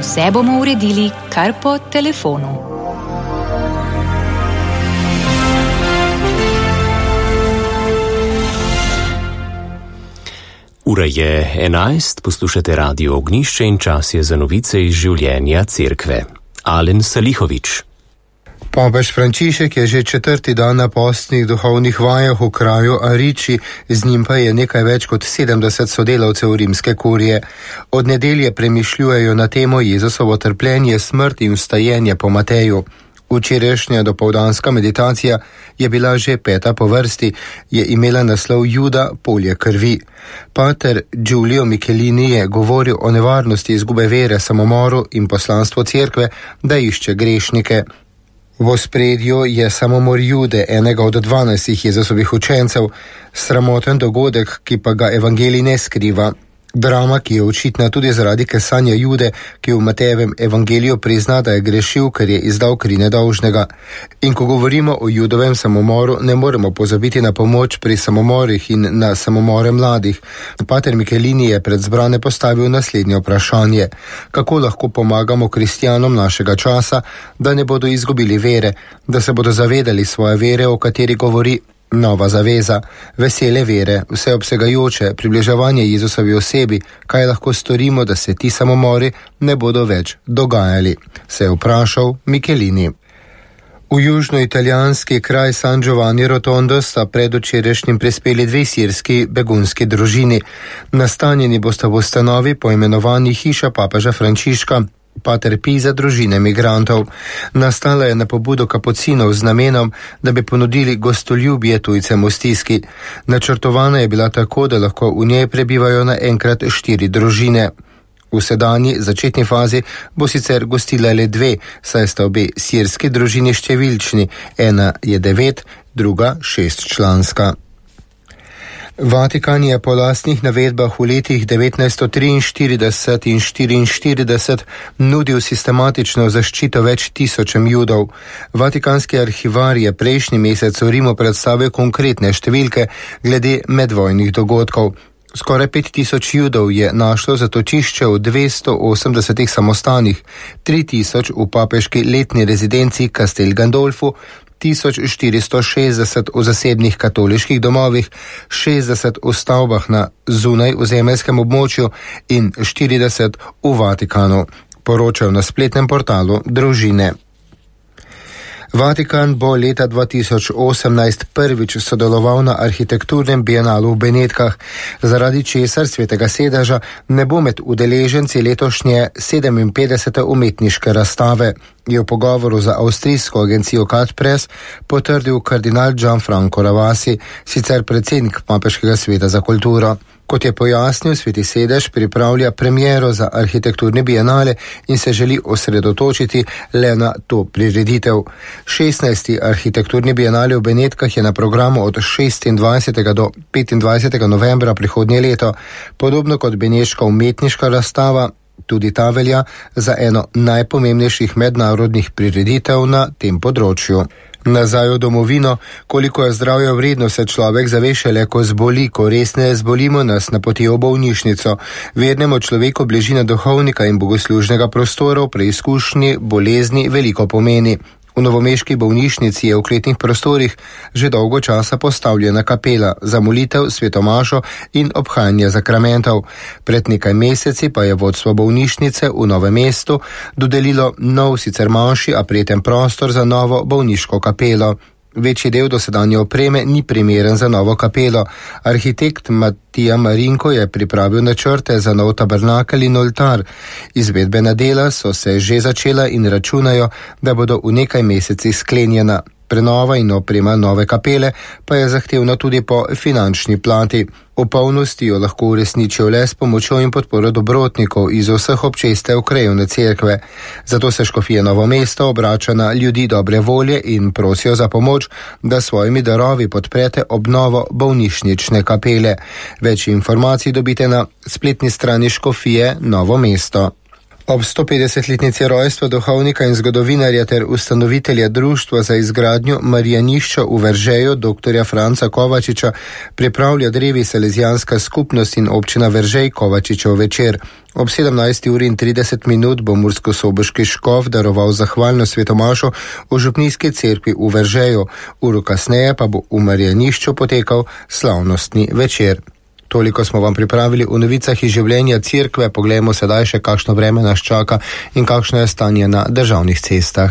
Vse bomo uredili kar po telefonu. Ura je 11, poslušate Radio Ognjišče in čas je za novice iz življenja cerkve. Alen Salihovič. Papež Frančišek je že 4. dan na postnih duhovnih vajah v kraju Ariči, z njim pa je nekaj več kot 70 sodelavcev rimske kurije. Od nedelje premišljujejo na temo Jezusovo trpljenje, smrt in vstajenje po Mateju. Včerajšnja dopoldanska meditacija je bila že 5. po vrsti, je imela naslov Juda, polje krvi. Pater Giulio Michelini je govoril o nevarnosti izgube vere, samomoru in poslanstvu cerkve, da išče grešnike. V ospredju je samomor Jude, enega od 12 Jezusovih učencev, sramoten dogodek, ki pa ga evangelij ne skriva. Drama, ki je očitna tudi zaradi kesanja Jude, ki v Matejevem evangeliju prizna, da je grešil, ker je izdal kri nedolžnega. In ko govorimo o Judovem samomoru, ne moremo pozabiti na pomoč pri samomorih in na samomore mladih. Pater Michelini je pred zbrane postavil naslednje vprašanje: kako lahko pomagamo kristjanom našega časa, da ne bodo izgubili vere, da se bodo zavedali svoje vere, o kateri govori Nova zaveza, vesele vere, vseobsegajoče, približevanje Jezusovi osebi, kaj lahko storimo, da se ti samomori ne bodo več dogajali, se je vprašal Michelini. V južnoitalijanski kraj San Giovanni Rotondo sta predvčerajšnjim prispeli 2 sirski begunski družini. Nastanjeni bosta v ustanovi poimenovani Hiša papeža Frančiška, Pater Pij za družine migrantov. Nastala je na pobudo kapucinov z namenom, da bi ponudili gostoljubje tujcem v stiski. Načrtovana je bila tako, da lahko v njej prebivajo naenkrat 4 družine. V sedanji začetni fazi bo sicer gostila le 2, saj sta obe sirski družini številčni, ena je 9, druga 6 članska. Vatikan je po lastnih navedbah v letih 1943 in 1944 nudil sistematično zaščito več tisočem Judov. Vatikanski arhivar je prejšnji mesec v Rimu predstavil konkretne številke glede medvojnih dogodkov. Skoraj 5000 Judov je našlo zatočišče v 280 samostanih, 3000 v papeški letni rezidenci Castel Gandolfu, 1460 v zasebnih katoliških domovih, 60 v stavbah na zunaj ozemeljskem območju in 40 v Vatikanu, poročajo na spletnem portalu Družine. Vatikan bo leta 2018 prvič sodeloval na arhitekturnem bienalu v Benetkah, zaradi česar Svetega sedeža ne bo med udeleženci letošnje 57. umetniške razstave, je v pogovoru za avstrijsko agencijo Cat Press potrdil kardinal Gianfranco Ravasi, sicer predsednik Papeškega sveta za kulturo. Kot je pojasnil, Sveti sedež pripravlja premiero za arhitekturni bienale in se želi osredotočiti le na to prireditev. 16. arhitekturni bienale v Benetkah je na programu od 26. do 25. novembra prihodnje leto. Podobno kot beneška umetniška razstava, tudi ta velja za eno najpomembnejših mednarodnih prireditev na tem področju. Nazaj v domovino, koliko je zdravja vredno, se človek zave šele, ko zboli, ko resneje zbolimo, nas napotijo v bolnišnico. Vernemu človeku bližina duhovnika in bogoslužnega prostora v preizkušnji bolezni veliko pomeni. V novomeški bolnišnici je v kletnih prostorih že dolgo časa postavljena kapela za molitev, svetomašo in obhajanje zakramentov. Pred nekaj meseci pa je vodstvo bolnišnice v Novem mestu dodelilo nov, sicer manjši, a prijeten prostor za novo bolniško kapelo. Večji del dosedanje opreme ni primeren za novo kapelo. Arhitekt Matija Marinko je pripravil načrte za nov tabernakel in oltar. Izvedbena dela so se že začela in računajo, da bodo v nekaj mesecih sklenjena. Prenova in oprema nove kapele pa je zahtevna tudi po finančni plati. V polnosti jo lahko uresničijo le s pomočjo in podporo dobrotnikov iz vseh občestev krajevne cerkve. Zato se škofija Novo mesto obrača na ljudi dobre volje in prosijo za pomoč, da svojimi darovi podprete obnovo bolnišnične kapele. Več informacij dobite na spletni strani škofije Novo mesto. Ob 150-letnici rojstva duhovnika in zgodovinarja ter ustanovitelja Društva za izgradnjo Marijanišča v Veržeju, dr. Franca Kovačiča, pripravlja drevi Salezijanska skupnost in občina Veržej Kovačičev večer. Ob 17:30 bo murskosoboški škof daroval zahvalno svetomašo v župnijski cerkvi v Veržeju. Uro kasneje pa bo v Marijanišču potekal slavnostni večer. Toliko smo vam pripravili v novicah iz življenja cerkve. Poglejmo sedaj še, kakšno vreme nas čaka in kakšno je stanje na državnih cestah.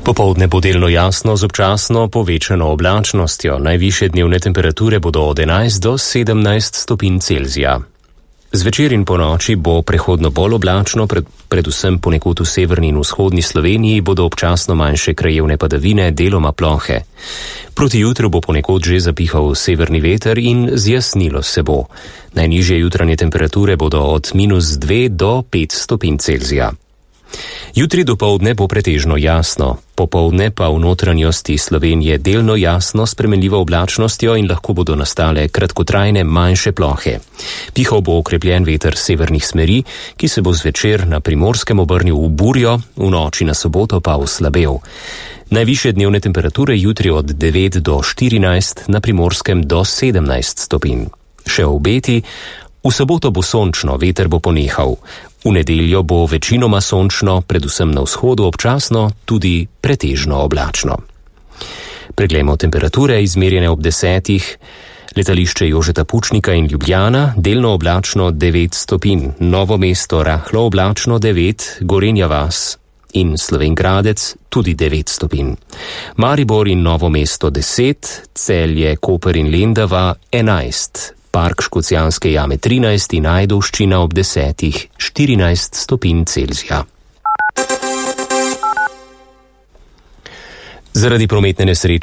Popoldne bo delno jasno z občasno povečano oblačnostjo. Najvišje dnevne temperature bodo od 11 do 17 stopinj Celzija. Zvečer in po noči bo prehodno bolj oblačno, predvsem ponekod v severni in vzhodni Sloveniji bodo občasno manjše krajevne padavine, deloma plohe. Proti jutru bo ponekod že zapihal severni veter in zjasnilo se bo. Najnižje jutranje temperature bodo od -2 do 5 stopinj Celzija. Jutri dopoldne bo pretežno jasno, popoldne pa v notranjosti Slovenije delno jasno s spremenljivo oblačnostjo in lahko bodo nastale kratkotrajne manjše plohe. Pihal bo okrepljen veter severnih smeri, ki se bo zvečer na Primorskem obrnil v burjo, v noči na soboto pa oslabel. Najvišje dnevne temperature jutri od 9 do 14, na Primorskem do 17 stopinj. Še obeti: v soboto bo sončno, veter bo ponehal. V nedeljo bo večinoma sončno, predvsem na vzhodu občasno, tudi pretežno oblačno. Preglejmo temperature, izmerjene ob 10. Letališče Jožeta Pučnika in Ljubljana, delno oblačno 9 stopinj, Novo mesto rahlo oblačno 9, Gorenja vas in Slovenj Gradec tudi 9 stopinj. Maribor in Novo mesto 10, Celje, Koper in Lendava 11, Park Škocjanske jame 13 in Ajdovščina ob 10, 14 stopinj Celzija. Zaradi prometne nesreče